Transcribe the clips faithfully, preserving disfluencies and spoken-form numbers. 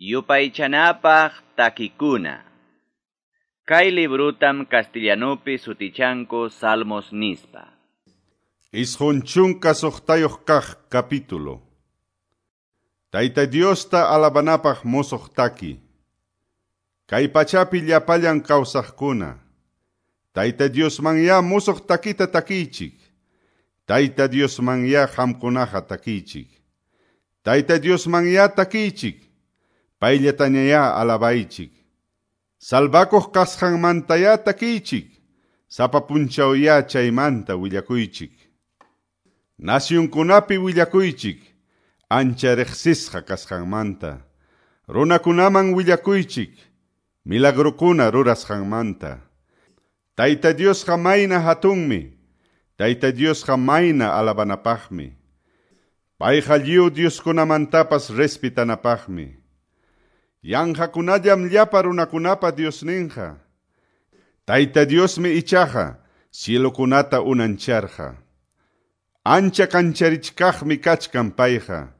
Yupaychanapaq takikuna. Kay librutam castellanupi sutichanku Salmos nispa. Isqun chunka suqtayuq kaq capítulo. Tayta Diosta alabanapaq musuq taki. Kay pachapi llapallan kawsaqkuna. Tayta Diosmanya musuq takita takichik. Tayta Diosmanya qamkunaqa takichik. Tayta Diosmanya takichik. Payllatañayá alabaychik. Salvakuq kasqanmantayá takichik. Sapa punchawya chaymanta willakuychik. Nasyunkunapi willakuychik. Ancha riqsisqa kasqanmanta. Runakunaman willakuychik. Milagrukuna rurasqanmanta. Tayta Diosqa mayna hatunmi. Tayta Diosqa mayna alabanapaqmi. Payqa lliw Dioskunamantapas respitanapaqmi. Yanqakunallam llapa runakunapa Diosninqa. Tayta Diosmi ichaqa cielokunata unancharqa. Ancha kancharichkaqmi kachkan payqa.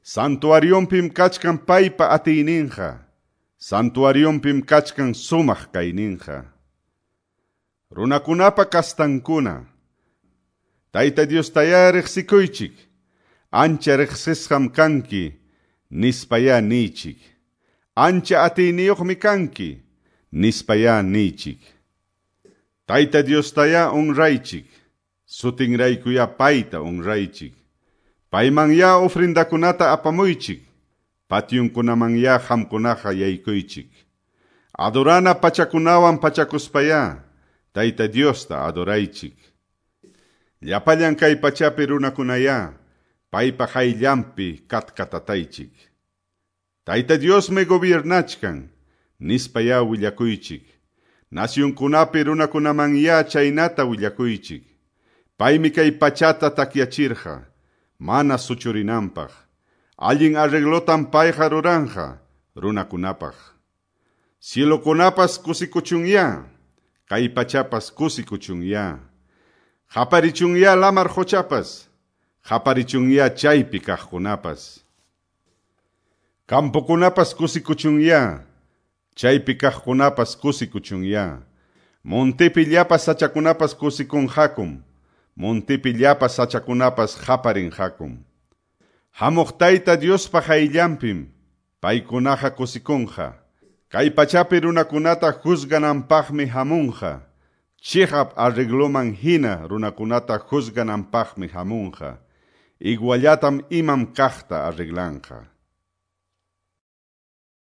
Santuarionpim kachkan paypa atiyninqa. Santuarionpim kachkan sumaq kayninqa. Runakunapa kastankuna. Tayta Diostayá riqsikuychik. Ancha riqsisqam kanki, nispayá niychik. Ancha atiyniyuqmi kanki, nispayá niychik. Tayta Diostayá honraychik, sutinraykuyá payta honraychik. Paymanyá ofrendakunata apamuychik, patyunkunamanyá qamkunaqa yaykuychik. Adorana pachakunawan pachakuspayá, Tayta Diosta adoraychik. Llapallan kay pachapi runakunayá, paypa qayllanpi katkatataychik. Tayta Diosmi gobiernachkan, nispayá willakuychik. Nasyunkunapi runakunamanyá chaynata willakuychik. Paymi kay pachata takyachirqa, mana suchurinanpaq. Allin arreglotam payqa ruranqa, runakunapaq. Cielokunapas kusikuchunyá, kay pachapas kusikuchunyá. Qaparichunyá lamar quchapas, qaparichunyá chaypi kaqkunapas. Campokunapas kusikuchunyá, chaypi kaqkunapas kusikuchunyá. Montepi llapa sachakunapas kusikunqakum, montepi llapa sachakunapas qaparinqakum. Hamuq Tayta Diospa qayllanpim, paykunaqa kusikunqa. Kay pachapi runakunata juzgananpaqmi hamunqa. Chiqap arregloman hina runakunata juzgananpaqmi hamunqa. Iguallatam imam kaqta arreglanqa.